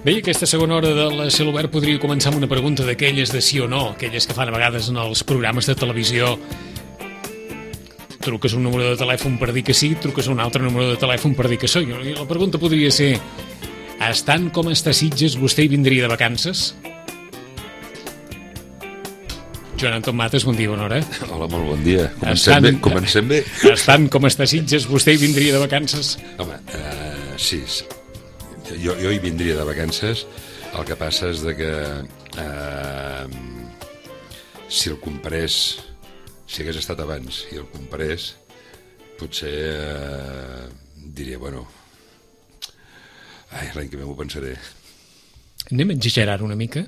Bé, aquesta segona hora del Ciel Obert podria començar amb una pregunta d'aquelles de sí o no, aquelles que fan a vegades en els programes de televisió. Truques un número de telèfon per dir que sí, truques un altre número de telèfon per dir que sí. I la pregunta podria ser: estant com està Sitges, vostè hi vindria de vacances? Joan Anton Mates, bon dia, bona hora. Hola, molt bon dia. Comencem bé. Estant com està Sitges, vostè hi vindria de vacances? Home, sí. Jo hi vindria de vacances. El que passa és que si el comprés, si hagués estat abans i el comprés, potser diria, bueno, l'any que ve m'ho pensaré. Anem a exagerar una mica,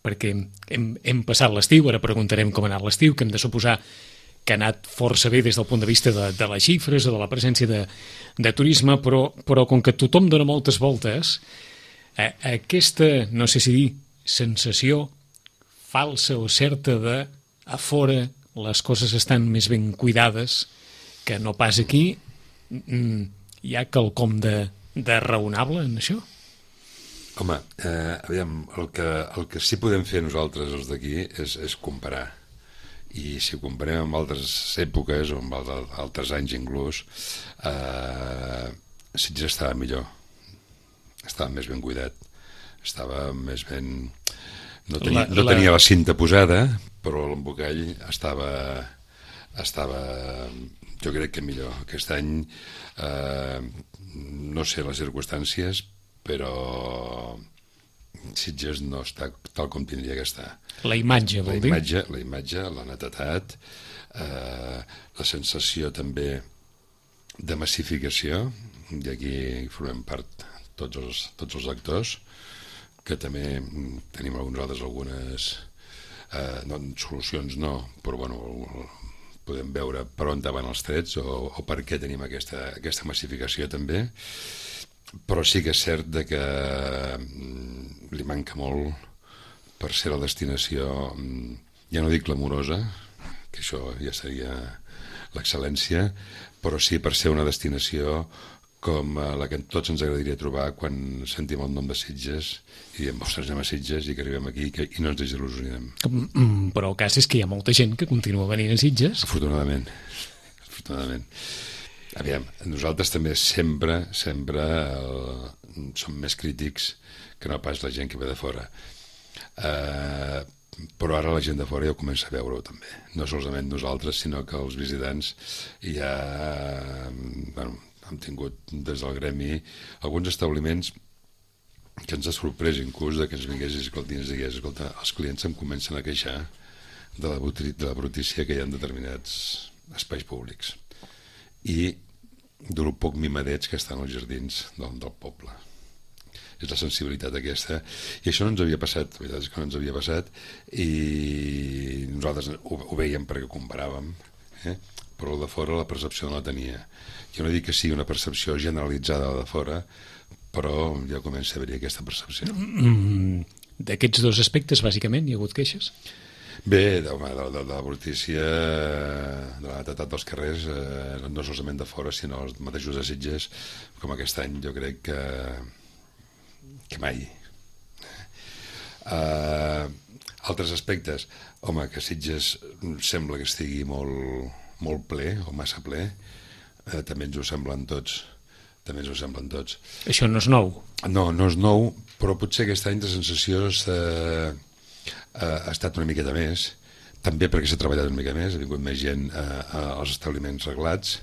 perquè hem passat l'estiu, ara preguntarem com ha anat l'estiu, que hem de suposar que ha anat força bé des del punt de vista de les xifres o de la presència de turisme, però com que tothom dona moltes voltes, aquesta, no sé si dir, sensació falsa o certa de a fora les coses estan més ben cuidades que no pas aquí, hi ha quelcom de raonable en això? Home, aviam, el que sí podem fer nosaltres, els d'aquí, és comparar. I si ho comparem amb altres èpoques o amb altres anys inclús, Sitges estava millor, estava més ben cuidat, estava més ben... No tenia la cinta posada, però l'embocall estava jo crec que millor. Aquest any no sé les circumstàncies, però Sitges no està tal com tindria que estar. La imatge, vol dir? La imatge, la netedat, la sensació també de massificació, i aquí formem part tots els actors, que també tenim algunes solucions no, però bueno, podem veure per on van els trets o per què tenim aquesta massificació també. Però sí que és cert que li manca molt per ser la destinació, ja no dic glamourosa, que això ja seria l'excel·lència, però sí per ser una destinació com la que tots ens agradaria trobar quan sentim el nom de Sitges i diem, ostres, anem a Sitges i que arribem aquí i no ens desil·lusionem. Però el cas és que hi ha molta gent que continua venint a Sitges. Afortunadament. Aviam, nosaltres també sempre som més crítics que no pas la gent que ve de fora. Però ara la gent de fora ja ho comença a veure-ho també. No solament nosaltres, sinó que els visitants ja hem tingut des del gremi alguns establiments que ens ha sorprès inclús que ens vingués i ens digués, escolta, els clients em comencen a queixar de la brutícia que hi ha en determinats espais públics i del poc mimadets que estan als jardins del poble. És la sensibilitat aquesta, i això no ens havia passat, la veritat és que no ens havia passat, i nosaltres ho veiem perquè comparàvem, però el de fora la percepció no la tenia. Jo no dic que sigui una percepció generalitzada de fora, però ja comença a haver-hi aquesta percepció. D'aquests dos aspectes, bàsicament, hi ha hagut queixes? Bé, de la brutícia, de la netedat dels carrers, no solament de fora, sinó els mateixos de Sitges, com aquest any jo crec que mai. Altres aspectes, home, que Sitges sembla que estigui molt ple o massa ple, també ens ho semblen tots. Això no és nou? No és nou, però potser aquest any la sensació ha estat una miqueta més, també perquè s'ha treballat una mica més, ha vingut més gent als establiments reglats,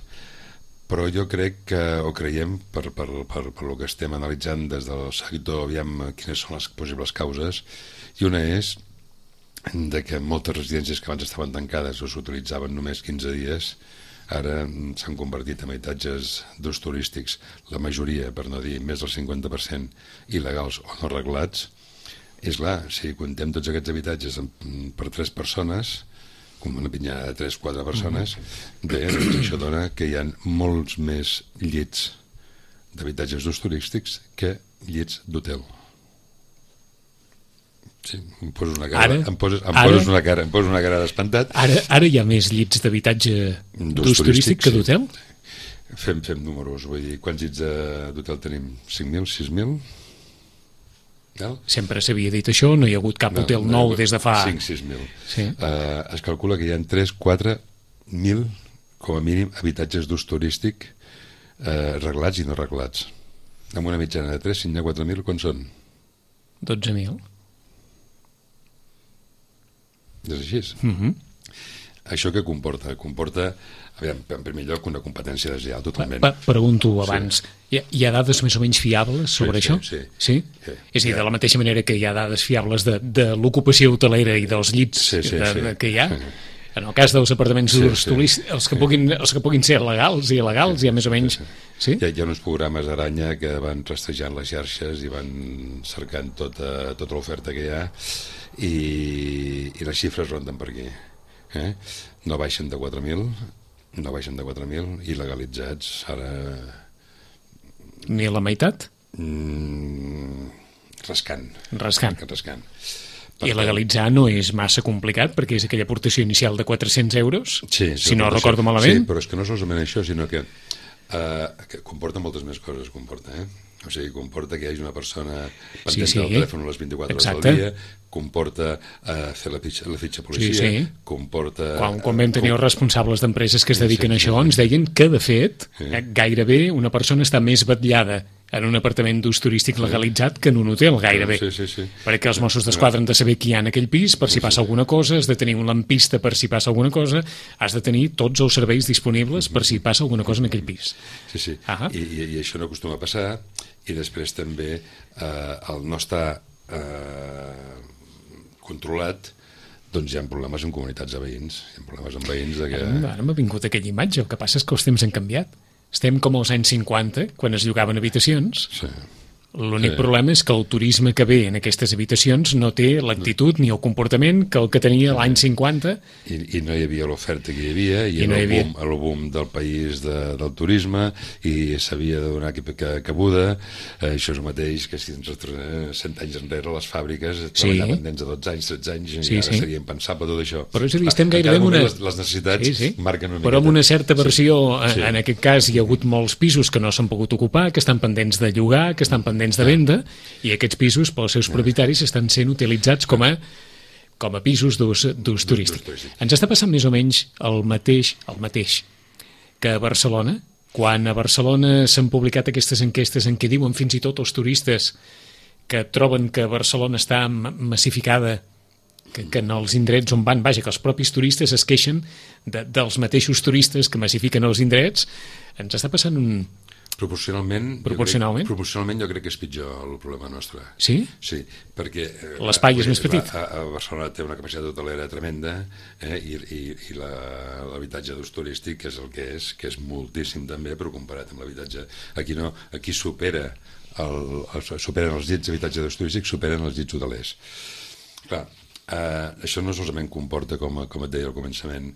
però jo crec que, o creiem, per el que estem analitzant des del sector, aviam quines són les possibles causes, i una és que moltes residències que abans estaven tancades o s'utilitzaven només 15 dies, ara s'han convertit en habitatges d'ús turístics, la majoria, per no dir més del 50%, il·legals o no reglats. És clar, si contem tots aquests habitatges per 3 persones, com una pinyada de 3-4 persones, bé, doncs això dona que hi ha molts més llits d'habitatges d'ús turístics que llits d'hotel. Sí, em poses una cara d'espantat. Ara hi ha més llits d'habitatge d'ús turístic que d'hotel? Fem números, vull dir, quants llits d'hotel tenim? 5.000, 6.000? Sempre s'havia dit això, no hi ha hagut cap hotel nou des de fa... 5.000, 6.000. Es calcula que hi ha 3.000-4.000, com a mínim, habitatges d'ús turístic reglats i no reglats. Amb una mitjana de 3, si n'hi ha 4.000, quan són? 12.000. És així? Això què comporta? Comporta, aviam, en primer lloc, una competència deslleial totalment. Pregunto abans, hi ha dades més o menys fiables sobre això? Sí? És a dir, de la mateixa manera que hi ha dades fiables de l'ocupació hotelera i dels llits que hi ha, en el cas dels apartaments turístics, els que puguin ser legals i il·legals, hi ha més o menys... Sí? Hi ha uns programes d'aranya que van rastejant les xarxes i van cercant tota l'oferta que hi ha i les xifres ronden per aquí. No baixen de 4.000 i legalitzats ara... Ni la meitat? Rascant. I legalitzar no és massa complicat perquè és aquella aportació inicial de 400 euros, si no recordo malament. Sí, però és que no solament això, sinó que comporta moltes més coses, O sigui, comporta que hi hagi una persona pendent del telèfon a les 24 hores del dia, comporta fer la fitxa policia, comporta... Quan vam tenir els responsables d'empreses que es dediquen a això, ens deien que, de fet, gairebé una persona està més vetllada en un apartament d'ús turístic legalitzat que en un hotel, gairebé. Perquè els Mossos d'Esquadra han de saber qui hi ha en aquell pis per si passa alguna cosa, has de tenir un lampista per si passa alguna cosa, has de tenir tots els serveis disponibles per si passa alguna cosa en aquell pis. I això no acostuma a passar, i després també el no estar controlat, doncs hi ha problemes en comunitats de veïns, Ara m'ha vingut aquella imatge, el que passa és que els temps han canviat. Estem com als anys 50, quan es llogaven habitacions. L'únic problema és que el turisme que ve en aquestes habitacions no té l'actitud ni el comportament que el que tenia l'any 50. I no hi havia l'oferta que hi havia, i el boom del país del turisme, i s'havia de donar cabuda. Això és el mateix que si ens retornem 100 anys enrere, les fàbriques treballaven nens de 12 anys, 13 anys, i ara seria impensable tot això. Però és a dir, estem gairebé en una... Les necessitats marquen una miqueta. Però amb una certa versió, en aquest cas hi ha hagut molts pisos que no s'han pogut ocupar, que estan pendents de llogar, que estan pendents de venda, i aquests pisos pels seus propietaris estan sent utilitzats com a pisos d'ús turístic. Ens està passant més o menys el mateix que a Barcelona, quan a Barcelona s'han publicat aquestes enquestes en què diuen fins i tot els turistes que troben que Barcelona està massificada, que en els indrets on van, que els propis turistes es queixen dels mateixos turistes que massifiquen els indrets. Ens està passant un... Proporcionalment jo crec que és pitjor el problema nostre. Sí? Sí, perquè... L'espai és més petit. A Barcelona té una capacitat hotelera tremenda, i l'habitatge d'ús turístic és el que és moltíssim també, però comparat amb l'habitatge... Aquí superen els llits d'habitatge d'ús turístic, superen els llits hotelers. Clar, això no solament comporta, com et deia al començament,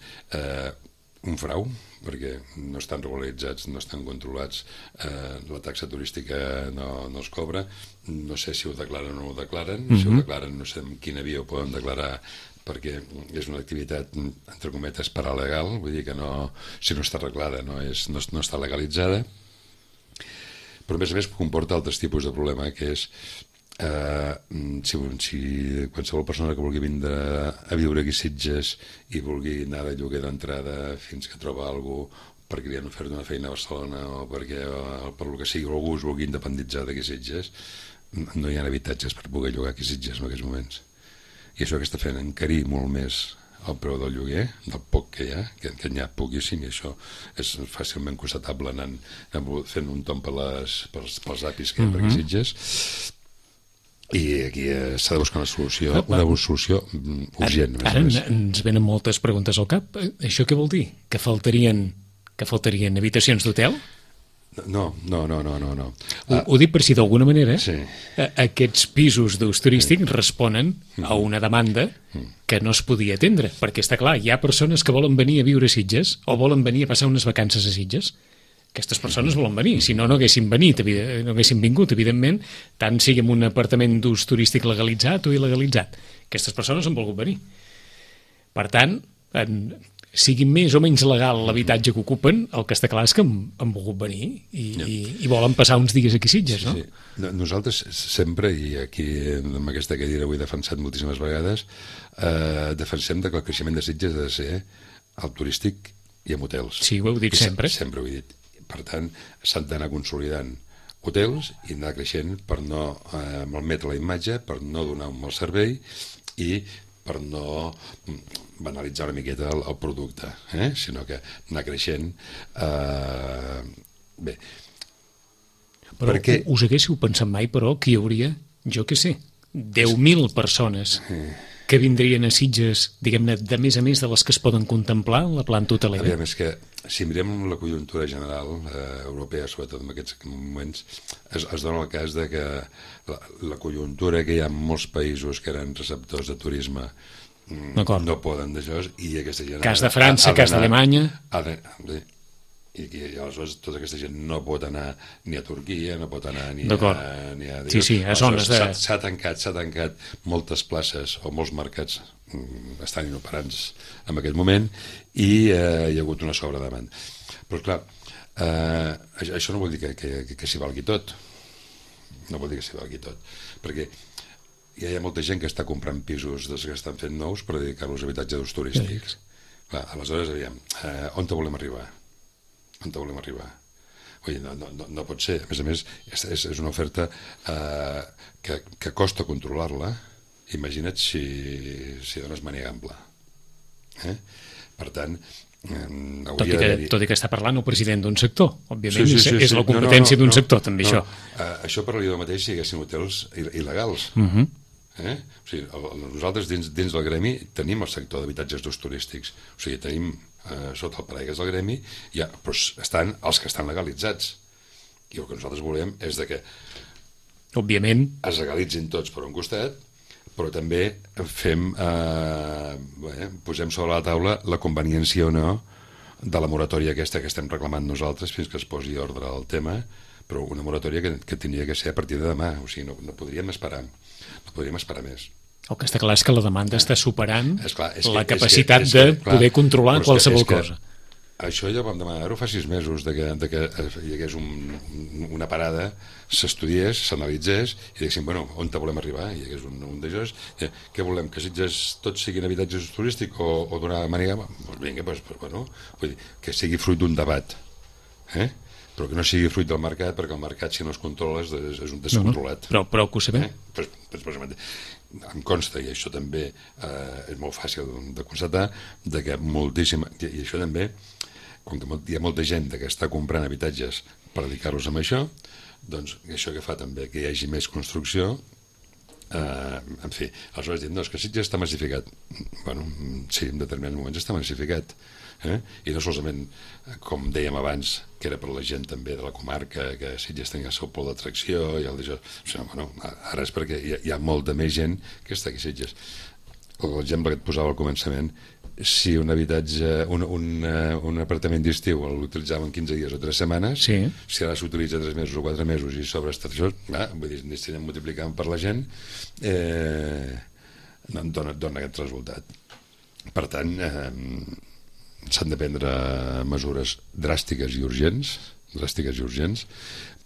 un frau, perquè no estan regularitzats, no estan controlats, la taxa turística no es cobra, no sé si ho declaren o no ho declaren, si ho declaren no sé en quina via ho poden declarar, perquè és una activitat, entre cometes, paralegal, vull dir que si no està arreglada no està legalitzada, però a més comporta altres tipus de problema, que és si qualsevol persona que vulgui vindre a viure aquí a Sitges i vulgui anar de lloguer d'entrada fins que troba algú perquè li han ofert una feina a Barcelona o perquè per lo que sigui algú es vulgui independitzar d'aquí a Sitges, no hi ha habitatges per poder llogar aquí a Sitges en aquests moments, i això que està fent encarir molt més el preu del lloguer, del poc que hi ha, que n'hi ha poquíssim, i això és fàcilment constatable fent un tomb pels apis que hi ha per aquí a Sitges. I aquí s'ha de buscar una solució urgent. Ara ens venen moltes preguntes al cap. Això què vol dir? Que faltarien habitacions d'hotel? No. Ho dic per si d'alguna manera aquests pisos d'ús turístic responen a una demanda que no es podia atendre, perquè està clar, hi ha persones que volen venir a viure a Sitges o volen venir a passar unes vacances a Sitges. Aquestes persones volen venir, si no haguessin vingut, evidentment, tant sigui en un apartament d'ús turístic legalitzat o il·legalitzat. Aquestes persones han volgut venir. Per tant, sigui més o menys legal l'habitatge que ocupen, el que està clar és que han volgut venir i volen passar uns dies aquí a Sitges, no? Sí. Nosaltres sempre, i aquí amb aquesta cadira ho he defensat moltíssimes vegades, defensem que el creixement de Sitges ha de ser al turístic i en hotels. Sí, ho heu dit sempre. Sempre ho he dit. Per tant, s'han d'anar consolidant hotels i anar creixent per no malmetre la imatge, per no donar un mal servei i per no banalitzar una miqueta el producte, sinó que anar creixent. Bé. Però perquè... us haguéssiu pensat mai, però, que hi hauria, jo què sé, 10.000 persones que vindrien a Sitges, diguem-ne, de més a més de les que es poden contemplar en la planta hotelera? Aviam, és que si mirem la conjuntura general europea, sobretot en aquests moments, es dona el cas de que la conjuntura que hi ha en molts països que eren receptors de turisme no poden d'això, i aquesta gent... Cas de França, cas d'Alemanya... I aleshores tota aquesta gent no pot anar ni a Turquia, no pot anar ni a... Sí, a zones de... S'ha tancat moltes places o molts mercats estan inoperants en aquest moment i hi ha hagut una sobredemanda. Però clar, això no vol dir que s'hi valgui tot. No vol dir que s'hi valgui tot. Perquè ja hi ha molta gent que està comprant pisos dels que estan fent nous per dedicar-los a habitatges d'ús turístics. Clar, aleshores, aviam, on te volem arribar? On te volem arribar? Vull dir, no pot ser. A més, és una oferta que costa controlar-la. Imagina't si dones màniga ampla. Per tant, tot i que està parlant el president d'un sector, òbviament, és la competència d'un sector, també, això. Això parlaria del mateix si hi haguessin hotels il·legals. O sigui, nosaltres dins del gremi tenim el sector d'habitatges d'ús turístics. O sigui, tenim sota el paraigües del gremi, però estan els que estan legalitzats. I el que nosaltres volem és que òbviament es legalitzin tots per un costat, però també posem sobre la taula la conveniència o no de la moratòria aquesta que estem reclamant nosaltres fins que es posi ordre al tema, però una moratòria que tindria que ser a partir de demà. O sigui, no podríem esperar. No podríem esperar més. El que està clar és que la demanda està superant la capacitat de poder controlar qualsevol cosa. Això ja ho vam demanar-ho fa 6 mesos, que hi hagués una parada, s'estudiés, s'analitzés, i diguéssim, bueno, on te volem arribar? Hi hagués un d'aixòs. Què volem, que Sitges tots siguin habitatges turístics o donar màniga? Doncs vinga, bueno, vull dir, que sigui fruit d'un debat, però que no sigui fruit del mercat, perquè el mercat, si no es controla, és un descontrolat. Però que ho sabem. Em consta, i això també és molt fàcil de constatar, que moltíssima... I això també, com que hi ha molta gent que està comprant habitatges per dedicar-los a això, doncs això que fa també que hi hagi més construcció, en fi, aleshores diem, no, és que Sitges està massificat. Bueno, sí, en determinats moments està massificat. I no solament, com dèiem abans, que era per la gent també de la comarca, que Sitges tenia el seu pol d'atracció i el d'això, bueno, ara és perquè hi ha molta més gent que està aquí a Sitges. L'exemple que et posava al començament, si un habitatge, un apartament d'estiu l'utilitzaven 15 dies o 3 setmanes, si ara s'utilitza 3 mesos o 4 mesos i sobre això, vull dir, si anem multiplicant per la gent, dona aquest resultat. Per tant, s'han de prendre mesures dràstiques i urgents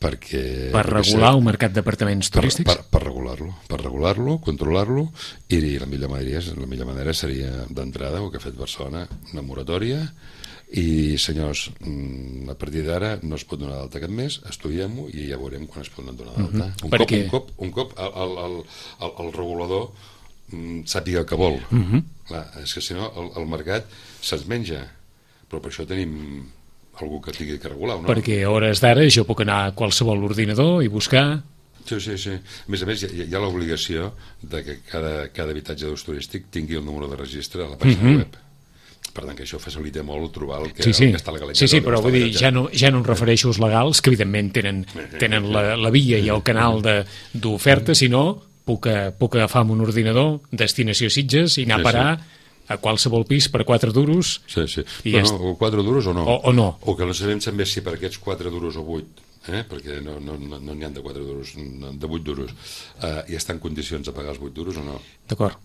perquè... Per regular el mercat d'apartaments turístics? Per regular-lo, controlar-lo, i la millor manera seria d'entrada, el que ha fet Barcelona, una moratòria, i senyors, a partir d'ara no es pot donar d'alta aquest mes, estudiem-ho i ja veurem quan es pot donar d'alta. Un cop el regulador sàpiga el que vol. Clar, és que si no el mercat se'ns menja, però per això tenim algú que tingui que regular, no? Perquè a hores d'ara jo puc anar a qualsevol ordinador i buscar... Sí. A més, hi ha l'obligació de que cada habitatge d'ús turístic tingui el número de registre a la pàgina web. Per tant, que això facilita molt trobar el que està legalitzat. Sí, però vull dir, ja no em refereixo als legals, que evidentment tenen la via i el canal d'oferta, sinó puc agafar amb un ordinador destinació Sitges i anar a parar a qualsevol pis per 4 duros. Sí. O 4 duros o no. O no. O que no sabem també si per aquests 4 duros o 8, perquè no n'hi ha de 4 duros, de 8 duros, i està en condicions de pagar els 8 duros o no. D'acord.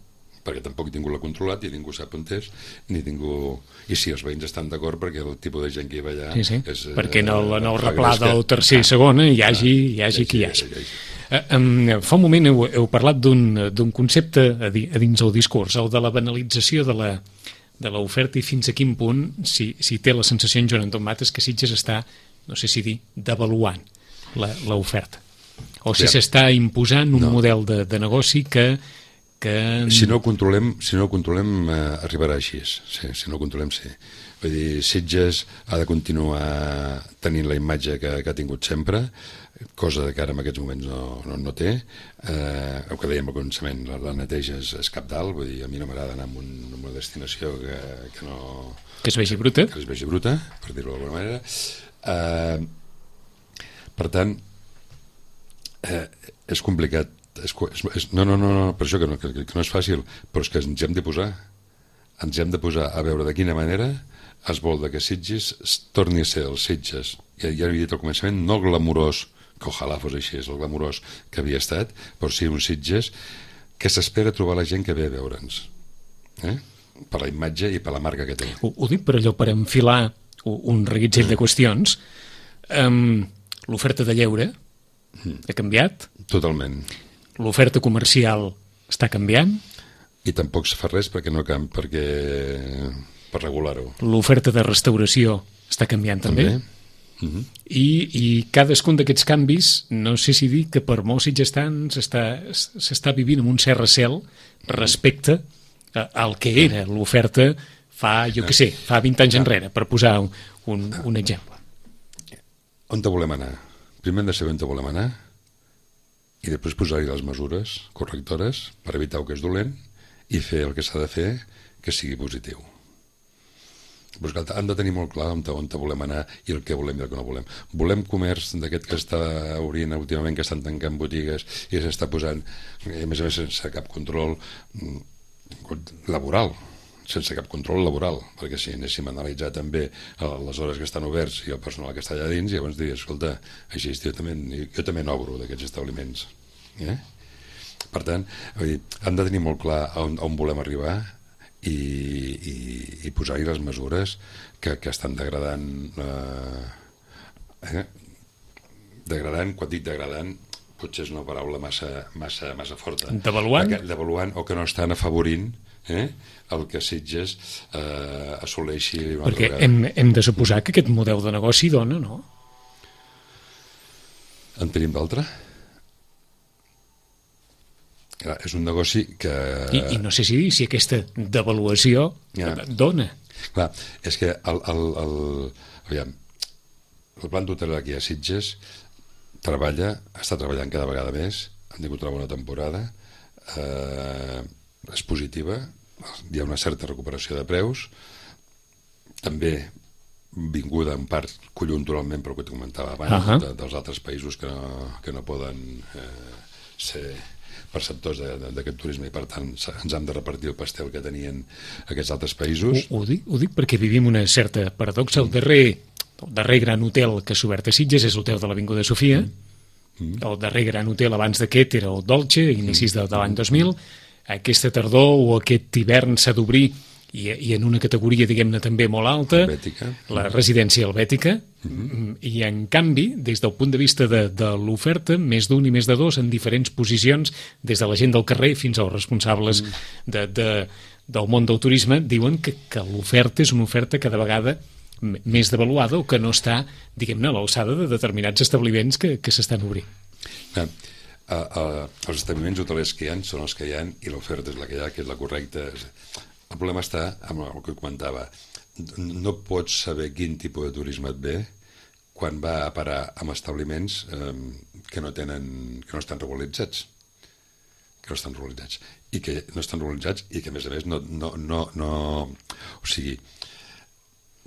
perquè tampoc ningú l'ha controlat, ni ningú sap on és, ni ningú... I sí, els veïns estan d'acord perquè el tipus de gent que hi va allà... Sí. És, perquè en el replà del tercer i segona hi hagi qui hi hagi. Fa un moment heu parlat d'un concepte a dins el discurs, el de la banalització de l'oferta i fins a quin punt, si té la sensació en Joan Anton Mates que Sitges està, no sé si dir, devaluant l'oferta. O si s'està imposant un model de negoci que... Si no ho controlem arribarà així. Sí, si no ho controlem, sí. Vull dir, Sitges ha de continuar tenint la imatge que ha tingut sempre, cosa que ara en aquests moments no té. El que dèiem al començament, la neteja és cabdal, vull dir, a mi no m'agrada anar a una destinació que no... Que es vegi bruta. Que es vegi bruta, per dir-ho d'alguna manera. Per tant, és complicat. No, per això que no és fàcil, però és que ens hi hem de posar. Ens hi hem de posar a veure de quina manera es vol que Sitges torni a ser els Sitges. Ja havia dit al començament, no el glamurós, que ojalà fos així, és el glamurós que havia estat, però sí un Sitges que s'espera trobar la gent que ve a veure'ns. Per la imatge i per la marca que té. Ho dic per allò, per enfilar un reguitzell de qüestions. L'oferta de lleure ha canviat? Totalment. L'oferta comercial està canviant? I tampoc se fa res perquè per regular-ho. L'oferta de restauració està canviant també? I cadascun d'aquests canvis, no sé si dir que per molts sitgestans s'està vivint amb un cert recel respecte al que era l'oferta fa 20 anys enrere, per posar un exemple. On te volem anar? Primer hem de saber on te volem anar i després posar-hi les mesures correctores per evitar el que és dolent i fer el que s'ha de fer que sigui positiu. Però hem de tenir molt clar on volem anar i el que volem i el que no volem. Volem comerç d'aquest que està obrint últimament, que estan tancant botigues i s'està posant, a més sense cap control laboral, perquè si anéssim a analitzar també les hores que estan oberts i el personal que està allà dins, llavors diria, escolta, així jo també n'obro d'aquests establiments. Per tant, hem de tenir molt clar on volem arribar i posar-hi les mesures que estan degradant, quan dic degradant, potser és una paraula massa forta. Devaluant o que no estan afavorint el que Sitges assoleixi una altra vegada. Perquè hem de suposar que aquest model de negoci dona, no? En tenim d'altre? És un negoci que... I no sé si aquesta devaluació dona. Clar, és que el plan d'hotel aquí a Sitges està treballant cada vegada més, han tingut una bona temporada, és positiva, hi ha una certa recuperació de preus, també vinguda en part conjunturalment pel que t'ho comentava abans, dels altres països que no poden ser perceptors d'aquest turisme i per tant ens hem de repartir el pastel que tenien aquests altres països. Ho dic perquè vivim una certa paradoxa. El darrer gran hotel que s'ha obert a Sitges és l'hotel de l'Avinguda Sofia. El darrer gran hotel abans d'aquest era el Dolce, a inicis de l'any 2000. Aquesta tardor o aquest hivern s'ha d'obrir i en una categoria, diguem-ne, també molt alta, la residència helvètica, i en canvi, des del punt de vista de l'oferta, més d'un i més de dos en diferents posicions, des de la gent del carrer fins als responsables del món del turisme, diuen que l'oferta és una oferta cada vegada més devaluada o que no està, diguem-ne, a l'alçada de determinats establiments que s'estan obrint. Els establiments hotelers que hi ha són els que hi ha i l'oferta és la que hi ha, que és la correcta. El problema està amb el que comentava. No pots saber quin tipus de turisme et ve quan va a parar amb establiments que no estan regularitzats. I que no estan regularitzats i que, a més,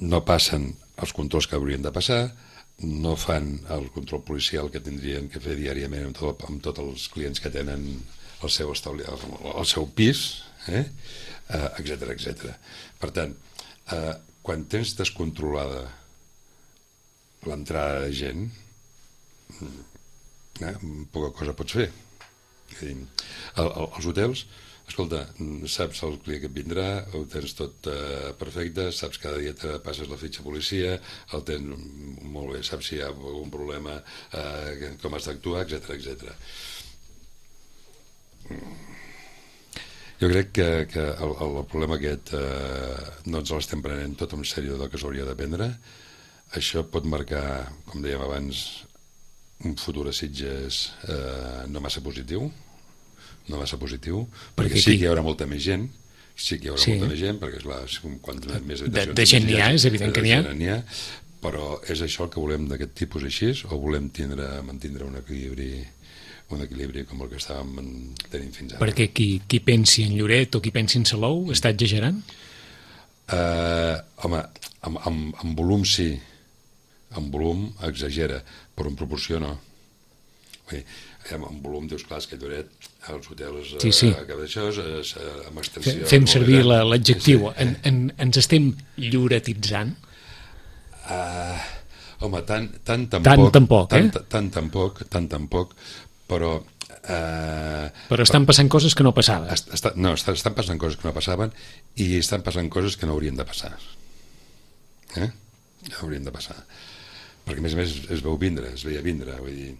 no passen els controls que haurien de passar, no fan el control policial que tindrien que fer diàriament amb tots els clients que tenen el seu pis, etc. Per tant, quan tens descontrolada l'entrada de gent, poca cosa pots fer. Els hotels, escolta, saps el client que et vindrà, ho tens tot perfecte, saps cada dia te passes la fitxa policia, el tens molt bé, saps si hi ha algun problema, com has d'actuar, etc. Jo crec que el problema aquest no ens l'estem prenent tot en sèrio del que s'hauria de prendre. Això pot marcar, com dèiem abans, un futur a Sitges no massa positiu, perquè sí que hi haurà molta més gent, molta més gent, perquè clar, quant més habitacions de gent n'hi ha, és evident que n'hi ha, però és això el que volem d'aquest tipus així, o volem mantindre un equilibri com el que estàvem tenint fins ara? Perquè qui pensi en Lloret o qui pensi en Salou està exagerant? Home, en volum sí, en volum exagera, però en proporció no. En volum dius, clar, és que Lloret, els hotels, això, amb extensió... Fem servir l'adjectiu. Ens estem lloretitzant? Home, tant tampoc, però... Però estan passant coses que no passaven. Estan passant coses que no passaven i estan passant coses que no haurien de passar. Haurien de passar. Perquè, a més, es veia vindre, vull dir,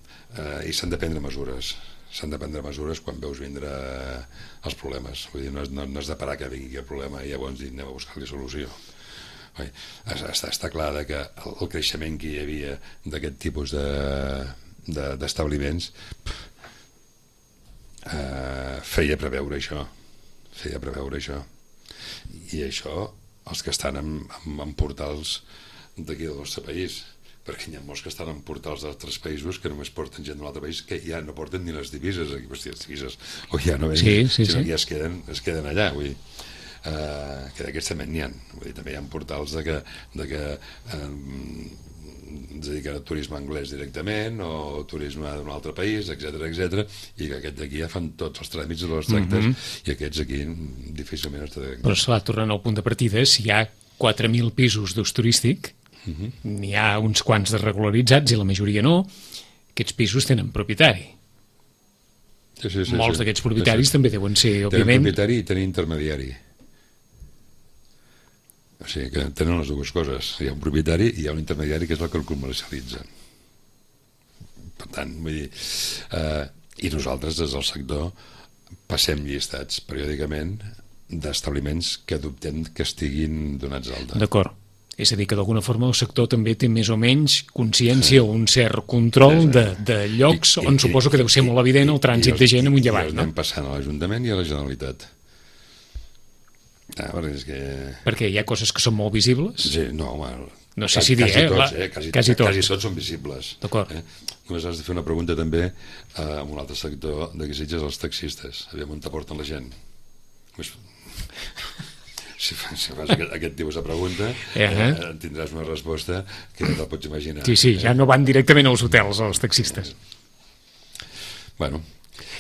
i s'han de prendre mesures. S'han de prendre mesures quan veus vindre els problemes. Vull dir, no has de parar que vingui el problema i llavors anem a buscar-li solució. Està clar que el creixement que hi havia d'aquest tipus d'establiments feia preveure això. I això, els que estan en portals d'aquí del nostre país, perquè hi ha molts que estan en portals d'altres països que només porten gent d'un altre país que ja no porten ni les divises, o ja no venen, sinó que ja es queden allà, vull dir. Que d'aquests també n'hi ha, vull dir, també hi ha portals de que ens dediquen a turisme anglès directament o turisme d'un altre país, etc, i que aquests d'aquí ja fan tots els tràmits i els tractes, i aquests aquí difícilment es dediquen. Però esclar, tornant al punt de partida, si hi ha 4.000 pisos d'ús turístic, n'hi ha uns quants de regularitzats i la majoria no, aquests pisos tenen propietari. Molts d'aquests propietaris també deuen ser, òbviament... Tenen propietari i tenen intermediari. O sigui que tenen les dues coses. Hi ha un propietari i hi ha un intermediari que és el que el comercialitza. Per tant, vull dir... I nosaltres, des del sector, passem llistats periòdicament d'establiments que dubtem que estiguin donats d'alta. D'acord. És a dir, que d'alguna forma el sector també té més o menys consciència o un cert control de llocs on suposo que deu ser molt evident el trànsit de gent amunt i avall, no? I els anem passant a l'Ajuntament i a la Generalitat. Perquè hi ha coses que són molt visibles? Sí, no, home... No sé si dir, quasi tots són visibles. D'acord. Només has de fer una pregunta també a un altre sector de Sitges, els taxistes. Aviam on t'aporten la gent. Si fas aquest tipus de pregunta, tindràs una resposta que no te'l pots imaginar. Sí, ja no van directament als hotels, els taxistes. Bueno.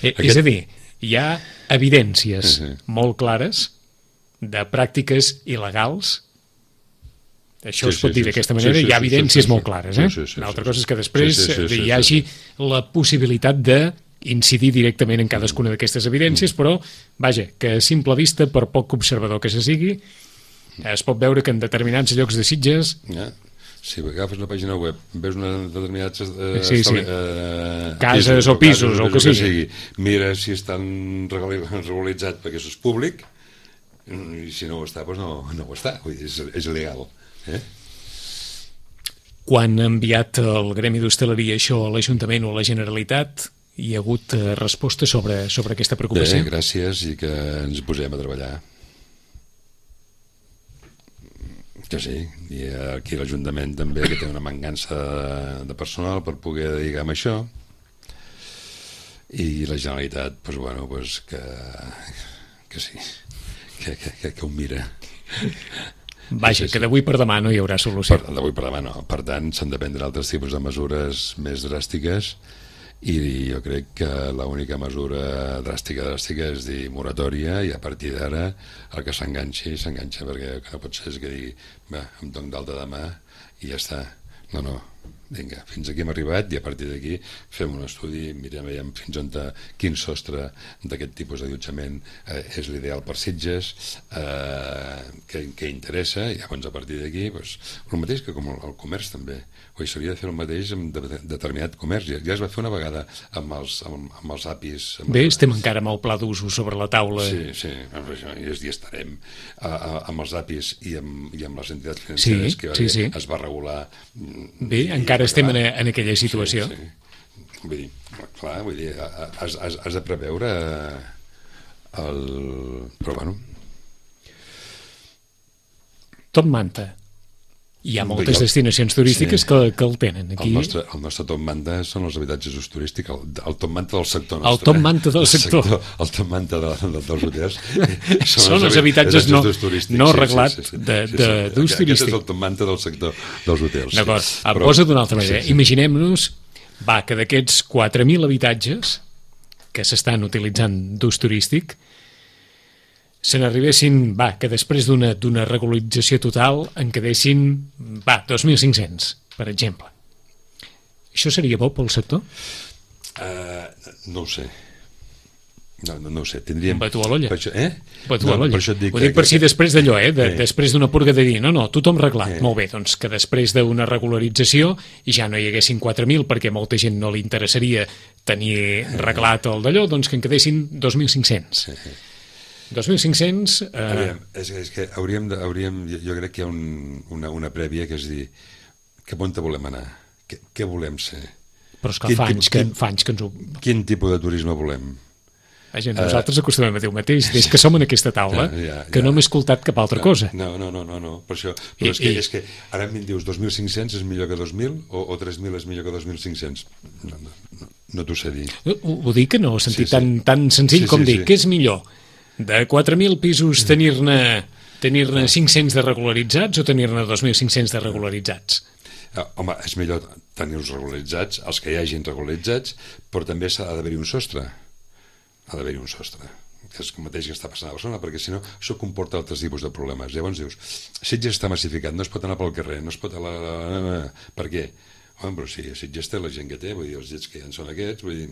És a dir, hi ha evidències molt clares de pràctiques il·legals. Això es pot dir d'aquesta manera, hi ha evidències molt clares. Una altra cosa és que després hi hagi la possibilitat de incidir directament en cadascuna d'aquestes evidències, però, vaja, que a simple vista, per poc observador que se sigui, es pot veure que en determinats llocs de Sitges... Si agafes una pàgina web, veus determinats cases o pisos, o el que sigui, mira si estan regularitzats perquè això és públic, i si no ho està, doncs no ho està, vull dir, és il·legal. Quan ha enviat el Gremi d'Hostaleria això a l'Ajuntament o a la Generalitat, hi ha hagut resposta sobre aquesta preocupació? Bé, gràcies, i que ens posem a treballar. Que sí, i aquí l'Ajuntament també, que té una mancança de personal per poder dedicar a això, i la Generalitat, doncs, bueno, que sí, que ho mira. Vaja, que d'avui per demà no hi haurà solució. D'avui per demà no. Per tant, s'han de prendre altres tipus de mesures més dràstiques, i jo crec que l'única mesura dràstica és dir moratòria, i a partir d'ara el que s'enganxa, perquè el que no pot ser és que digui em dono d'alta demà i ja està. No, vinga, fins aquí hem arribat i a partir d'aquí fem un estudi, mirem fins on quin sostre d'aquest tipus d'allotjament és l'ideal per Sitges, què interessa, i llavors a partir d'aquí el mateix que com el comerç també, s'hauria de fer el mateix amb determinat comerç. Ja es va fer una vegada amb els APIs. Bé, estem encara amb el pla d'usos sobre la taula. Sí, i estarem amb els APIs i amb les entitats financeres que es va regular. Bé, encara estem en aquella situació. Sí. Vull dir, clar, has de preveure però bueno. Top Manta. Hi ha moltes destinacions turístiques que el tenen. Aquí... El nostre top manta són els habitatges d'ús turístic, el top manta del sector nostre. El top manta del sector. El top manta dels hotels. Són els habitatges no arreglats d'ús turístic. Aquest és el top manta del sector dels hotels. D'acord, posa d'una altra manera. Imaginem-nos que d'aquests 4.000 habitatges que s'estan utilitzant d'ús turístic se n'arribessin, que després d'una regularització total en quedessin 2.500, per exemple. Això seria bo pel sector? No ho sé. No ho sé, tindríem... Batu a l'olla. Batu a l'olla. Ho dic per si després d'allò, després d'una purga de dir, no, tothom reglat. Molt bé, doncs que després d'una regularització ja no hi haguessin 4.000 perquè molta gent no li interessaria tenir reglat el d'allò, doncs que en quedessin 2.500. 2.500... És que jo crec que hi ha una prèvia que és dir cap on volem anar, què volem ser, però és que fa anys que ens ho... Quin tipus de turisme volem. Nosaltres acostumem a dir el mateix des que som en aquesta taula, que no hem escoltat cap altra cosa. No, per això. Però és que ara em dius 2.500 és millor que 2.000 o 3.000 és millor que 2.500. No t'ho sé dir. Ho dic que no, ho sentit tan senzill com dir què és millor, de 4.000 pisos tenir-ne 500 de regularitzats o tenir-ne 2.500 de regularitzats? Home, és millor tenir-los regularitzats, els que hi hagin regularitzats, però també ha d'haver-hi un sostre. Ha d'haver-hi un sostre, que és el mateix que està passant a Barcelona, perquè si no, això comporta altres tipus de problemes. Llavors dius, Sitges està massificat, no es pot anar pel carrer, no es pot... Per què? Home, però si Sitges té la gent que té, vull dir, els llets que ja en són aquests, vull dir,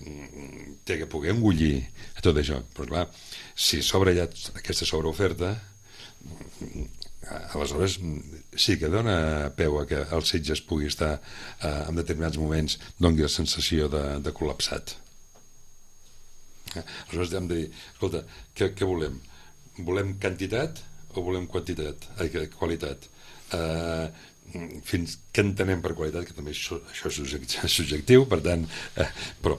té que poder engullir a tot això. Però clar, si s'obre ja aquesta sobreoferta, aleshores sí que dona peu a que el Sitges pugui estar en determinats moments, doni la sensació de col·lapsat. Aleshores hem de dir, escolta, què volem? Volem quantitat o volem qualitat? Què entenem per qualitat, que també això és subjectiu, per tant, però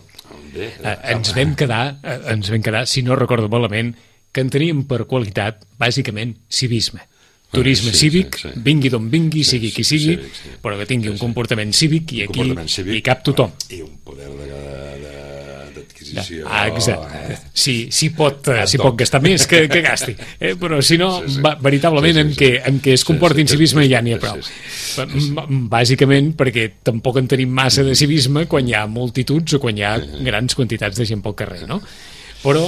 bé... Ens vam quedar, si no recordo malament, que enteníem per qualitat, bàsicament, civisme. Turisme cívic, vingui d'on vingui, sigui qui sigui, però que tingui un comportament cívic i aquí hi cap tothom. I un poder d'adquisició... Exacte. Si pot gastar més, que gasti. Però si no, veritablement en què es comporti en civisme ja n'hi ha prou. Bàsicament perquè tampoc en tenim massa de civisme quan hi ha multituds o quan hi ha grans quantitats de gent pel carrer, no? Però...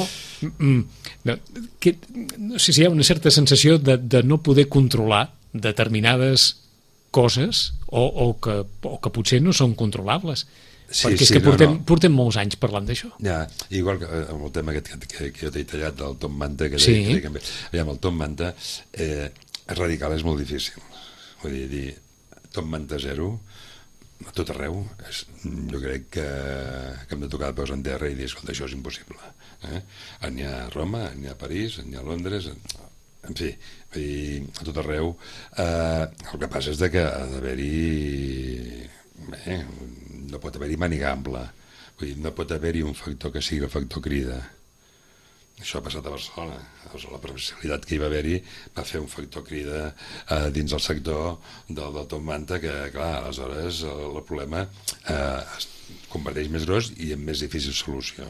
no sé si hi ha una certa sensació de no poder controlar determinades coses o que potser no són controlables, perquè és que portem molts anys parlant d'això. Igual que amb el tema que jo t'he tallat del Top Manta, el Top Manta radical és molt difícil, vull dir Top Manta 0 a tot arreu, jo crec que hem de tocar de peus en terra i dir, escolta, això és impossible. N'hi ha a Roma, n'hi ha a París, n'hi ha a Londres, en fi, a tot arreu. El que passa és que ha d'haver-hi... no pot haver-hi màniga ampla, vull dir, no pot haver-hi un factor que sigui el factor crida. Això ha passat a Barcelona. La presencialitat que hi va haver-hi va fer un factor crida dins el sector del Top Manta que, clar, aleshores el problema es converteix més gros i amb més difícil solució.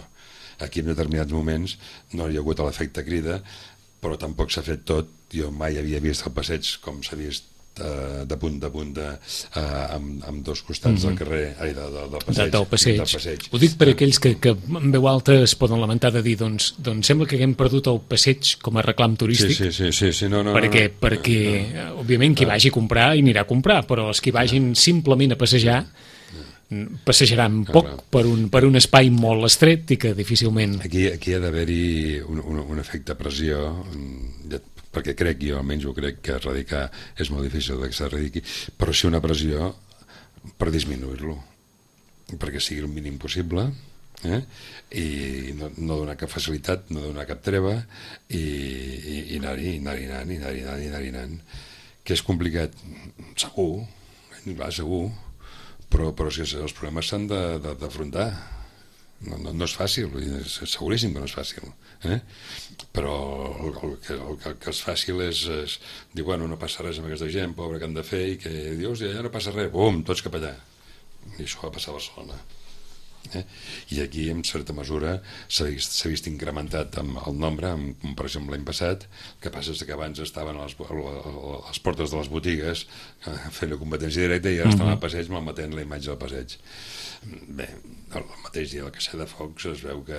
Aquí en determinats moments no hi ha hagut l'efecte crida, però tampoc s'ha fet tot. Jo mai havia vist el passeig com s'ha vist de punta a punta amb dos costats del carrer, del passeig. Ho dic per aquells que en veu alta es poden lamentar de dir doncs sembla que haguem perdut el passeig com a reclam turístic. Sí. No, perquè òbviament qui vagi a comprar i anirà a comprar, però els que vagin simplement a passejar passejaran poc per un espai molt estret i que difícilment... Aquí ha d'haver-hi un efecte pressió, perquè crec, jo almenys ho crec, que erradicar és molt difícil que s'erradiqui, però sí una pressió per disminuir-lo, perquè sigui el mínim possible, i no donar cap facilitat, no donar cap treva, i anar-hi anant. Que és complicat, segur, però si els problemes s'han d'afrontar. No és fàcil, és seguríssim que no és fàcil, però el que és fàcil és dir, bueno, no passa res amb aquesta gent, pobre, que han de fer, i que dius, ja no passa res, bum, tots cap allà. I això va passar a Barcelona. I aquí, en certa mesura, s'ha vist incrementat el nombre, com per exemple l'any passat. El que passa és que abans estaven a les portes de les botigues fent la competència directa i ara estan al passeig malmetent la imatge del passeig. Bé, el mateix dia del Caçar de Focs es veu que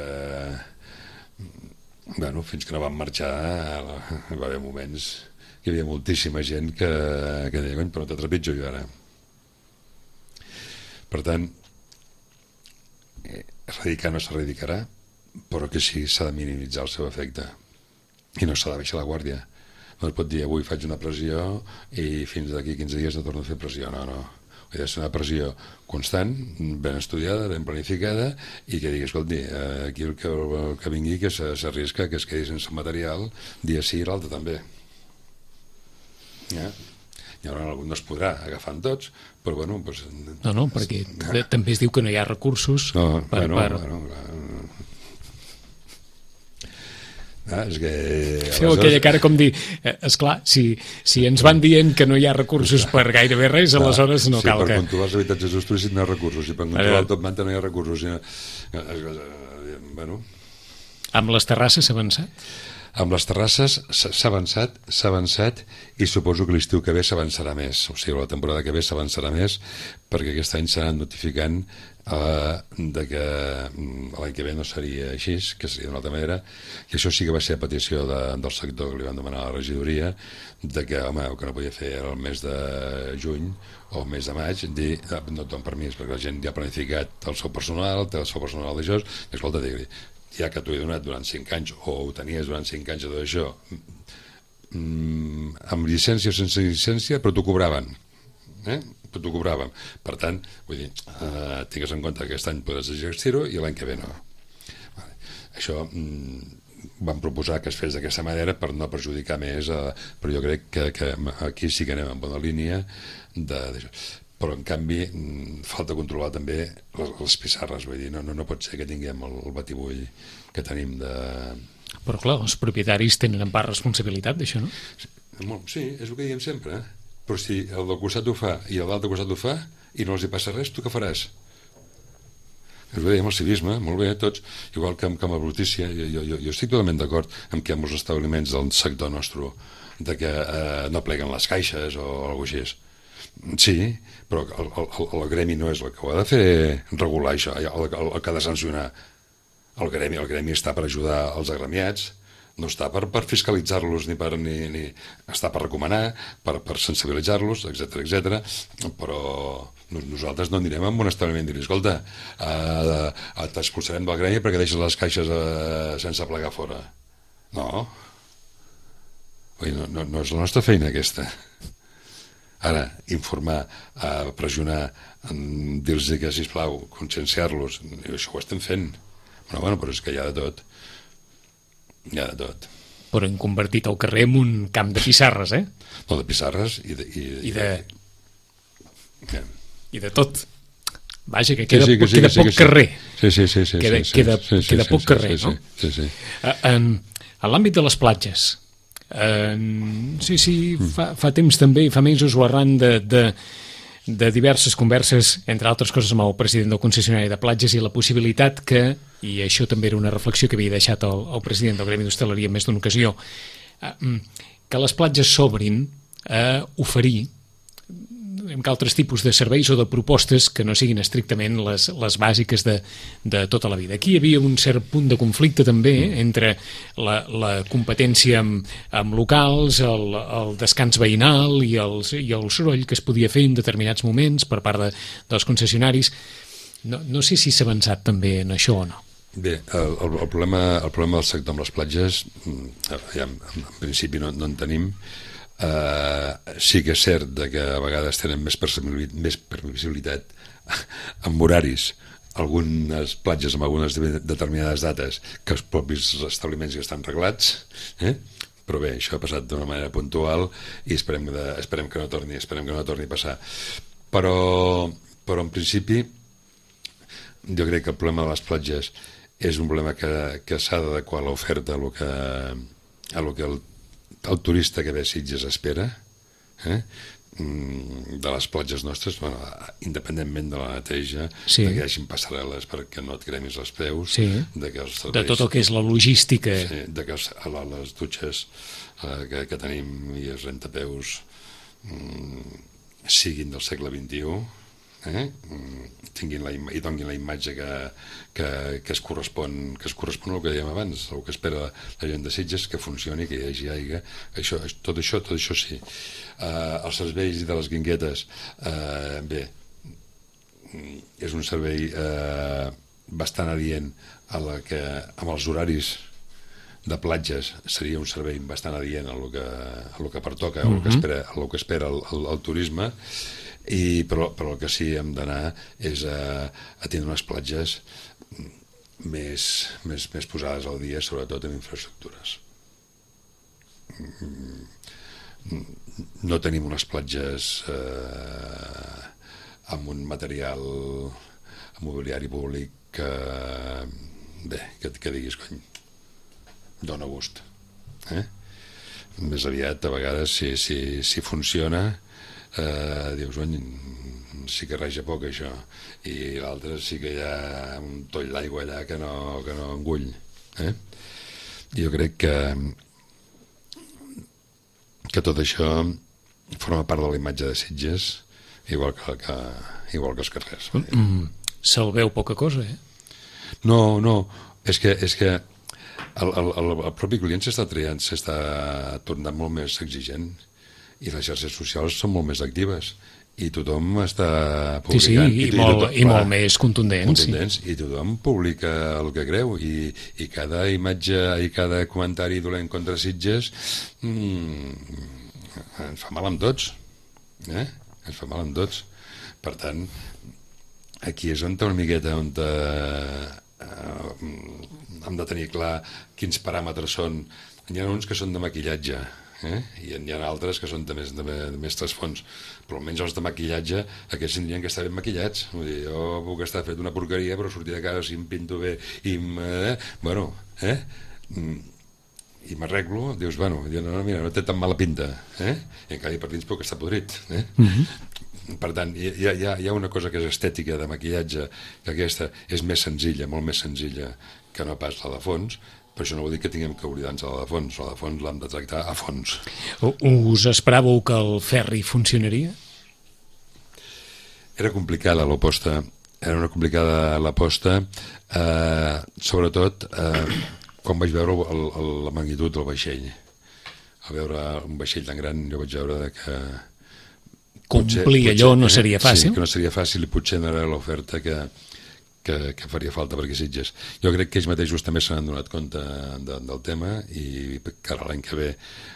fins que no van marxar va haver moments que hi havia moltíssima gent que deia, però te trepitjo jo ara. Per tant, erradicar no s'erradicarà, però que sí s'ha de minimitzar el seu efecte i no s'ha de baixar la guàrdia. No es pot dir avui faig una pressió i fins d'aquí 15 dies no torno a fer pressió, no. Ha de ser una pressió constant, ben estudiada, ben planificada, i que digui, escolti, aquí el que vingui que s'arrisca que es quedi sense material dia sí i l'altre també. I ara no es podrà agafar amb tots, però bueno... No, perquè també es diu que no hi ha recursos per... és que... Feu aquella cara com dir, esclar, si ens van dient que no hi ha recursos per gairebé res, aleshores no cal que... Per controlar els habitatges turístics no hi ha recursos, i per controlar el top manta no hi ha recursos. Amb les terrasses s'ha avançat? Amb les terrasses s'ha avançat i suposo que l'estiu que ve s'avançarà més, o sigui, la temporada que ve s'avançarà més, perquè aquest any s'ha anat notificant de que l'any que ve no seria així, que seria d'una altra manera, i això sí que va ser a petició del sector que li van demanar a la regidoria, de que, home, el que no podia fer era el mes de juny o el mes de maig, dir, no et dono permís, perquè la gent ja ha planificat el seu personal, té el seu personal d'això, i escolta, digui, ja que t'ho he donat durant 5 anys, o ho tenies durant 5 anys de tot això, amb llicència o sense llicència, però t'ho cobraven. Però t'ho cobraven. Per tant, vull dir, tingues en compte que aquest any podràs exercir-ho i l'any que ve no. Això vam proposar que es fes d'aquesta manera per no perjudicar més, però jo crec que aquí sí que anem en bona línia d'això. Però en canvi falta controlar també les pissarres, vull dir, no pot ser que tinguem el batibull que tenim de... Però clar, els propietaris tenen en part responsabilitat d'això, no? Sí, és el que diem sempre, però si el del costat ho fa i el d'altre costat ho fa i no els hi passa res, tu què faràs? És el que dèiem, el civisme, molt bé, tots, igual que amb la brutícia, jo estic totalment d'acord amb que amb els establiments del sector nostre de que no pleguen les caixes o alguna cosa així. Sí, però el gremi no és el que ho ha de fer regular això, el que ha de sancionar. El gremi està per ajudar els agremiats, no està per fiscalitzar-los ni està per recomanar, per sensibilitzar-los, etc. Però nosaltres no anirem a un establiment i dir, escolta, t'expulsarem del gremi perquè deixes les caixes sense plegar fora. No és la nostra feina aquesta. Ara, informar, pressionar, dir-los que, sisplau, conscienciar-los, això ho estem fent. Però és que hi ha de tot. Hi ha de tot. Però hem convertit el carrer en un camp de pissarres, No, de pissarres i de tot. Vaja, que queda poc carrer. Sí. Queda poc carrer, no? Sí. En l'àmbit de les platges, fa temps també, fa mesos o arran de diverses converses, entre altres coses amb el president del concessionari de platges, i la possibilitat que, i això també era una reflexió que havia deixat el president del Gremi d'Hostaleria en més d'una ocasió, que les platges s'obrin a oferir amb altres tipus de serveis o de propostes que no siguin estrictament les bàsiques de tota la vida. Aquí hi havia un cert punt de conflicte també entre la competència amb locals, el descans veïnal i el soroll que es podia fer en determinats moments per part dels concessionaris. No sé si s'ha avançat també en això o no. Bé, el problema del sector amb les platges, en principi no en tenim. Sí que és cert que a vegades tenen més permissibilitat amb horaris, algunes platges amb algunes determinades dates que els propis establiments que estan reglats, però bé, això ha passat d'una manera puntual i esperem que no torni a passar. Però en principi jo crec que el problema de les platges és un problema que s'ha d'adequar a l'oferta a lo que el turista que ve a Sitges espera, de les platges nostres, independentment de la neteja, sí, que hi hagin passarel·les perquè no et cremis els peus, sí, de tot el que és la logística, sí, de que les dutxes que tenim i els rentapeus siguin del segle XXI, i donin la imatge que es correspon al que dèiem abans, el que espera la gent de Sitges, que funcioni, que hi hagi aigua, tot això sí. Els serveis de les guinguetes, bé, és un servei bastant adient amb els horaris de platges, seria un servei bastant adient a lo que pertoca, a lo que espera el turisme. Però el que sí hem d'anar és a tenir unes platges més posades al dia, sobretot en infraestructures. No tenim unes platges amb un material mobiliari públic que diguis, cony, dona gust. Més aviat, a vegades, si funciona, dius, sí que reja poc això, i l'altre sí que hi ha un toll d'aigua allà que no engull. Jo crec que tot això forma part de la imatge de Sitges, igual que els carrers. Se'l veu poca cosa, No, és que el propi client s'està tornant molt més exigent, i les xarxes socials són molt més actives i tothom està publicant, i molt més contundents, i tothom publica el que creu, i cada imatge i cada comentari dolent contra Sitges ens fa mal amb tots, ens fa mal amb tots. Per tant, aquí és una miqueta on hem de tenir clar quins paràmetres són. Hi ha uns que són de maquillatge, i hi ha altres que són de més trasfons, però almenys els de maquillatge, aquests tindrien que estar ben maquillats. Vull dir, jo puc estar fet una porqueria, però sortir de casa si em pinto bé i i m'arreglo, dius, mira, no té tan mala pinta, i en canvi per dins puc estar podrit. Per tant, hi ha una cosa que és estètica de maquillatge, que aquesta és més senzilla, molt més senzilla que no pas la de fons, però això no vol dir que tinguem que oblidar-nos de la de fons. La de fons l'hem de tractar a fons. Us esperàveu que el ferri funcionaria? Era complicada l'aposta. Era una complicada l'aposta, sobretot quan vaig veure la magnitud del vaixell. Al veure un vaixell tan gran, jo vaig veure que complir allò no seria fàcil. Sí, que no seria fàcil, i potser no era l'oferta que faria falta per aquí Sitges. Jo crec que ells mateixos també se n'han donat compte del tema, i que ara l'any que ve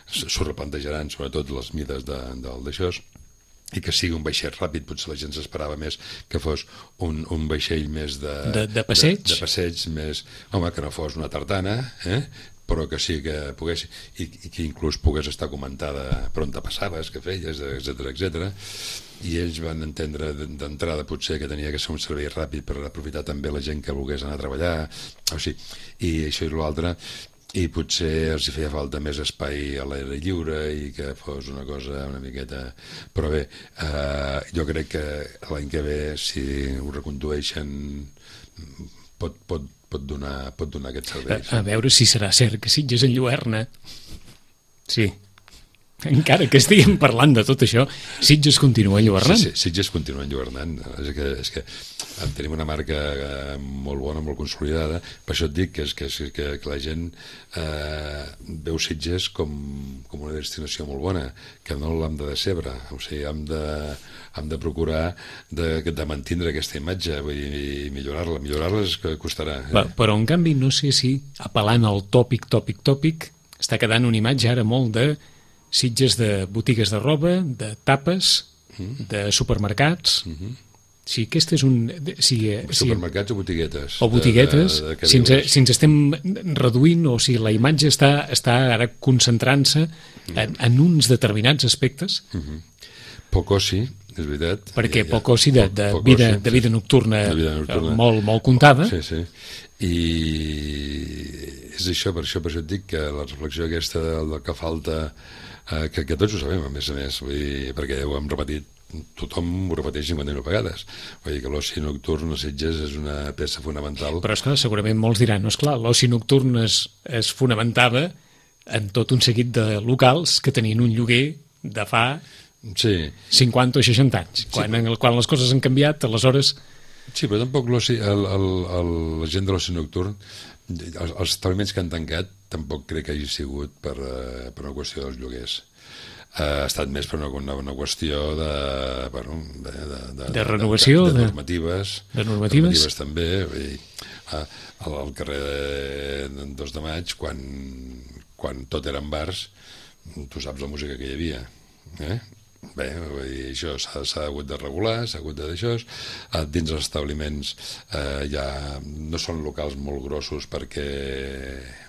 s'ho replantejaran, sobretot les mides d'això, i que sigui un vaixell ràpid. Potser la gent s'esperava més que fos un vaixell més de passeig, de passeig més, que no fos una tartana, però que sí que pogués, i que inclús pogués estar comentada per on te passaves, què feies, etc. I ells van entendre d'entrada potser que tenia que ser un servei ràpid per aprofitar també la gent que volgués anar a treballar, i això i l'altre, i potser els hi feia falta més espai a l'aire lliure i que fos una cosa una miqueta. Però bé, jo crec que l'any que ve, si ho recondueixen, pot donar aquest servei. A veure si serà cert que Sitges enlluerna. Sí. Encara que estiguem parlant de tot això, Sitges continua enlluernant. Sí, Sitges continua enlluernant. És que tenim una marca molt bona, molt consolidada. Per això et dic que la gent veu Sitges com una destinació molt bona, que no l'hem de decebre. O sigui, hem de procurar de mantenir aquesta imatge, vull dir, millorar-la. Millorar-la és que costarà. Però, en canvi, no sé si apel·lant al tòpic, està quedant una imatge ara molt de Sitges de botigues de roba, de tapes, de supermercats. Si aquest és un... Supermercats o botiguetes. O botiguetes, si ens estem reduint, o si la imatge està ara concentrant-se en uns determinats aspectes. Poc oci, és veritat. Perquè poc oci de vida nocturna molt contada. Sí. I és això, per això et dic que la reflexió aquesta del que falta, que tots ho sabem, a més, vull dir, perquè ho hem repetit, tothom ho repeteix 50.000 vegades. Vull dir que l'oci nocturn a Sitges és una peça fonamental. Però, esclar, segurament molts diran, no, esclar, l'oci nocturn es fonamentava en tot un seguit de locals que tenien un lloguer de fa 50 o 60 anys. Quan les coses han canviat, aleshores... Sí, però tampoc la gent de l'oci nocturn, els establiments que han tancat, tampoc crec que hagi sigut per una qüestió dels lloguers. Ha estat més per una qüestió de renovació, de normatives. De normatives també. Al carrer de 2 de maig, quan tot eren bars, tu saps la música que hi havia. Bé, això s'ha hagut de regular, s'ha hagut de d'això. Dins els establiments ja no són locals molt grossos perquè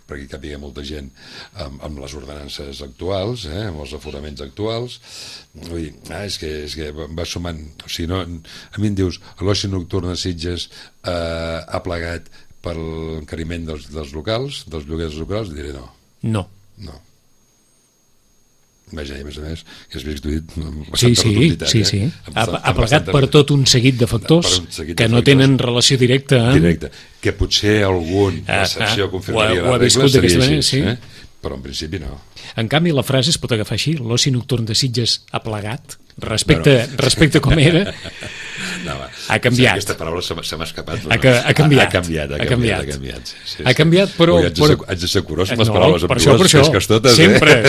hi capigui molta gent amb les ordenances actuals, amb els aforaments actuals. Vull dir, és que va sumant. O sigui, no, a mi em dius, l'oci nocturn a Sitges ha plegat per l'encariment dels locals, dels lloguers locals, diré no. No. Vaja, a més, que has vist sí. Ha plegat per tot un seguit de factors que no tenen relació directa que potser algun l'excepció confirmaria la regla, seria així, però en principi no. En canvi, la frase es pot agafar així: l'oci nocturn de Sitges ha plegat respecte com era. Ha canviat. Aquesta paraula se m'ha escapat. Ha canviat. Ha canviat, però... Haig de ser curós amb les paraules. Per això.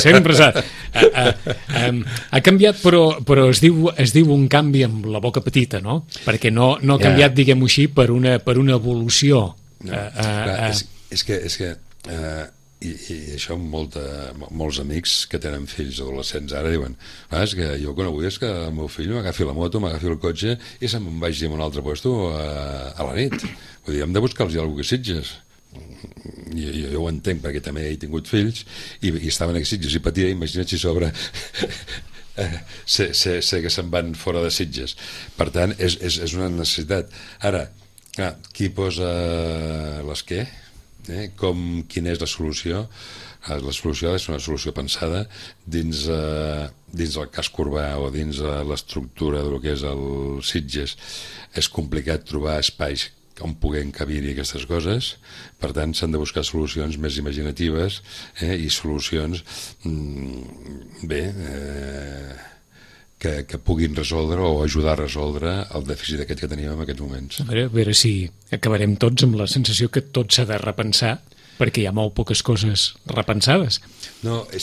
Sempre s'ha... Ha canviat, però es diu un canvi amb la boca petita, no? Perquè no ha canviat, diguem-ho així, per una evolució. És que i això molts amics que tenen fills adolescents ara diuen, és que jo quan avui és que el meu fill m'agafi la moto, m'agafi el cotxe i se'n vagi a un altre lloc a la nit. Vull dir, hem de buscar-los alguna cosa que Sitges. Jo ho entenc perquè també he tingut fills i estaven a Sitges i patia, imagina't si sobre sé que se'n van fora de Sitges. Per tant, és una necessitat. Ara, qui posa les què? Quina és la solució? La solució ha de ser una solució pensada dins el casc urbà o dins l'estructura del que és el Sitges. És complicat trobar espais on puguem cabir-hi aquestes coses, per tant s'han de buscar solucions més imaginatives i solucions que puguin resoldre o ajudar a resoldre el dèficit aquest que tenim en aquests moments. A veure si acabarem tots amb la sensació que tot s'ha de repensar, perquè hi ha molt poques coses repensades.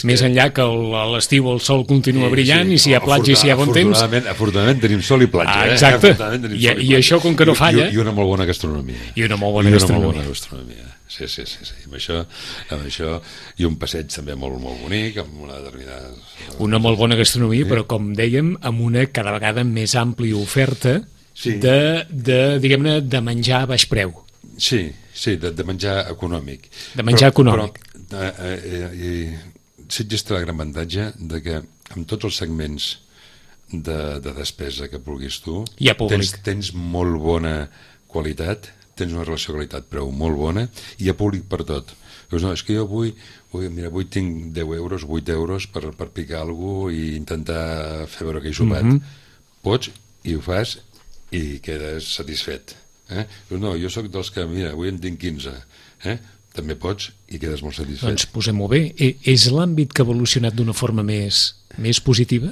Més enllà que a l'estiu el sol continua brillant i si hi ha platja i si hi ha bon temps... Afortunadament tenim sol i platja. Exacte, i això com que no falla... I una molt bona gastronomia. I una molt bona gastronomia. Sí. Amb això i un passeig també molt, molt bonic, amb una determinada... Una molt bona gastronomia, però com dèiem, amb una cada vegada més àmplia oferta diguem-ne, de menjar a baix preu. Sí, de menjar econòmic. De menjar econòmic. Però Sitges té el gran avantatge de que amb tots els segments de despesa que vulguis tu, tens molt bona qualitat, tens una relació qualitat-preu molt bona i hi ha públic per tot. Dius, no, és que jo avui tinc 10 euros, 8 euros per picar alguna cosa i intentar fer veure que he sopat. Pots i ho fas i quedes satisfet. Dius, no, jo sóc dels que, mira, avui en tinc 15. també pots i quedes molt satisfet. Doncs posem-ho bé. És l'àmbit que ha evolucionat d'una forma més positiva?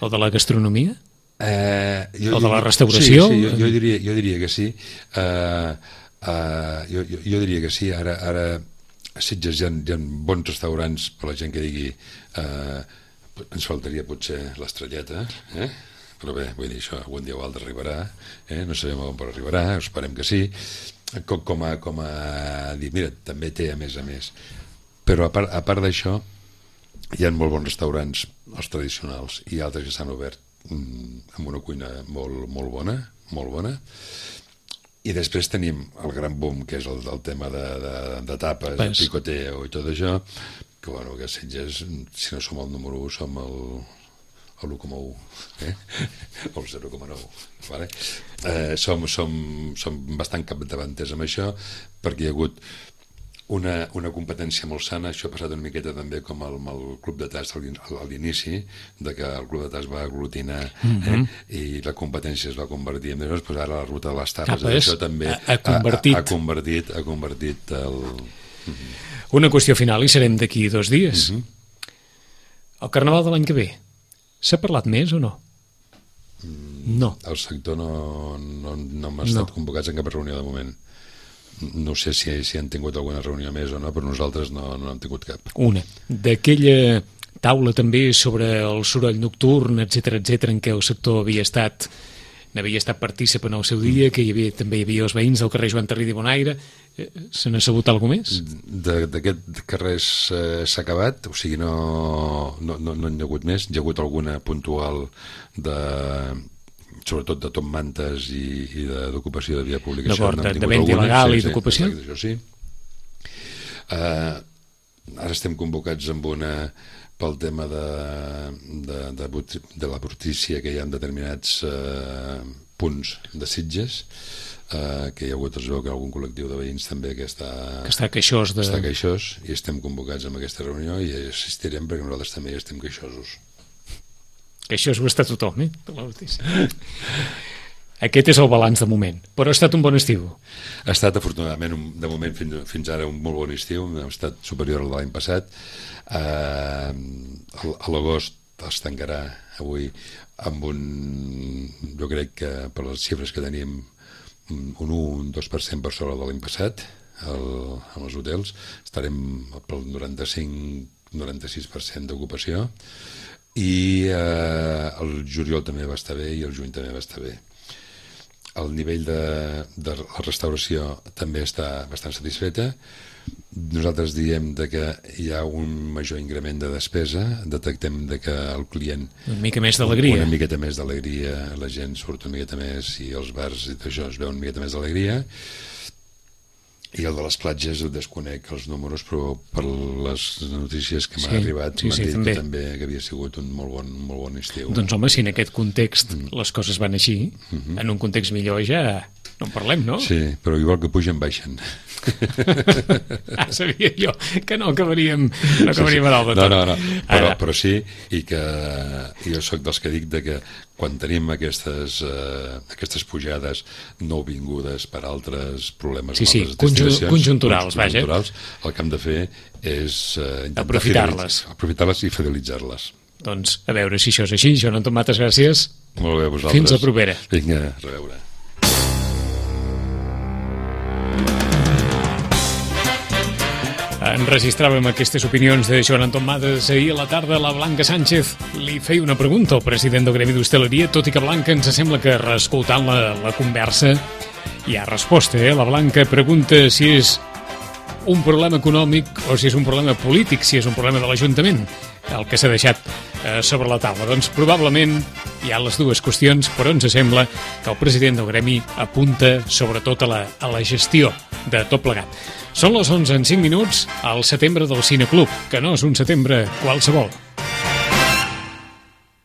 O de la gastronomia? O de la restauració? Sí, jo diria que sí. Jo diria que sí. Ara a Sitges hi ha bons restaurants per la gent que digui ens faltaria potser l'estrelleta, però bé, vull dir, això algun dia o altre arribarà, no sabem on arribarà, esperem que sí, com a dir, mira, també té a més, però a part d'això hi ha molt bons restaurants, els tradicionals, i altres que s'han obert amb una cuina molt bona, i després tenim el gran boom, que és el tema de tapes, el picoteo i tot això, que bueno, que Sitges, si no som el número 1, som el 1,1, o el 0,9, vale? Som bastant capdavanters amb això, perquè hi ha hagut una competència molt sana. Això ha passat una miqueta també com amb el Club de Tas a l'inici, de que el Club de Tas va aglutinar i la competència es va convertir en doncs ara la ruta de les tapes, això també ha convertit el... Una qüestió final, i serem d'aquí 2 dies. El Carnaval de l'any que ve, s'ha parlat més o no? No. El sector no hem estat convocats en cap reunió de moment. No sé si han tingut alguna reunió més o no, però nosaltres no hem tingut cap. Una. D'aquella taula també sobre el soroll nocturn, etc en què el sector n'havia estat partícip en el seu dia, que també hi havia els veïns del carrer Joan Tarrida i Bonaire. Se n'ha sabut alguna més? D'aquest carrer s'ha acabat, o sigui, no n'hi ha hagut més. Hi ha hagut alguna puntual sobretot de top mantes i d'ocupació de via pública. D'acord, de venda il·legal i d'ocupació? Això sí. Ara estem convocats amb pel tema de la brutícia, que hi ha determinats punts de Sitges, que hi ha hagut, es veu que algun col·lectiu de veïns també que està queixós, i estem convocats en aquesta reunió i assistirem perquè nosaltres també estem queixosos. Queixós ho està tothom, Aquest és el balanç de moment, però ha estat un bon estiu. Ha estat, afortunadament, de moment fins ara un molt bon estiu, ha estat superior al de l'any passat. A l'agost es tancarà avui amb jo crec que per les xifres que tenim, un 1-2% per sobre de l'any passat en els hotels. Estarem pel 95-96% d'ocupació, i el juliol també va estar bé i el juny també va estar bé. El nivell de la restauració també està bastant satisfeta. Nosaltres diem que hi ha un major increment de despesa, detectem que el client... Una mica més d'alegria. Una miqueta més d'alegria, la gent surt una miqueta més i els bars i tot això es veu una miqueta més d'alegria. I el de les platges ho desconec els números, però per les notícies que m'han arribat m'han dit que també havia sigut un molt bon estiu. Doncs home, si en aquest context les coses van així, en un context millor ja no en parlem, no? Sí, però igual que pugen, baixen. Sabia jo que no acabaríem a dalt de tot. No, però sí, i que jo sóc dels que dic que quan tenim aquestes pujades no vingudes per altres problemes, conjunturals, vaja. El que hem de fer és aprofitar-les i fidelitzar-les. Doncs a veure si això és així. Joan Anton Mates, gràcies. Molt bé, vosaltres. Fins la propera. Vinga, a reveure. Enregistràvem aquestes opinions de Joan Anton Mates. Ahir a la tarda la Blanca Sánchez li feia una pregunta al president del Gremi d'Hostaleria, tot i que Blanca ens sembla que reescoltant la conversa hi ha resposta. La Blanca pregunta si és un problema econòmic o si és un problema polític, si és un problema de l'Ajuntament el que s'ha deixat sobre la taula. Doncs probablement hi ha les dues qüestions, però ens sembla que el president del Gremi apunta sobretot a la gestió de tot plegat. Són les 11:05 al setembre del Cineclub, que no és un setembre qualsevol.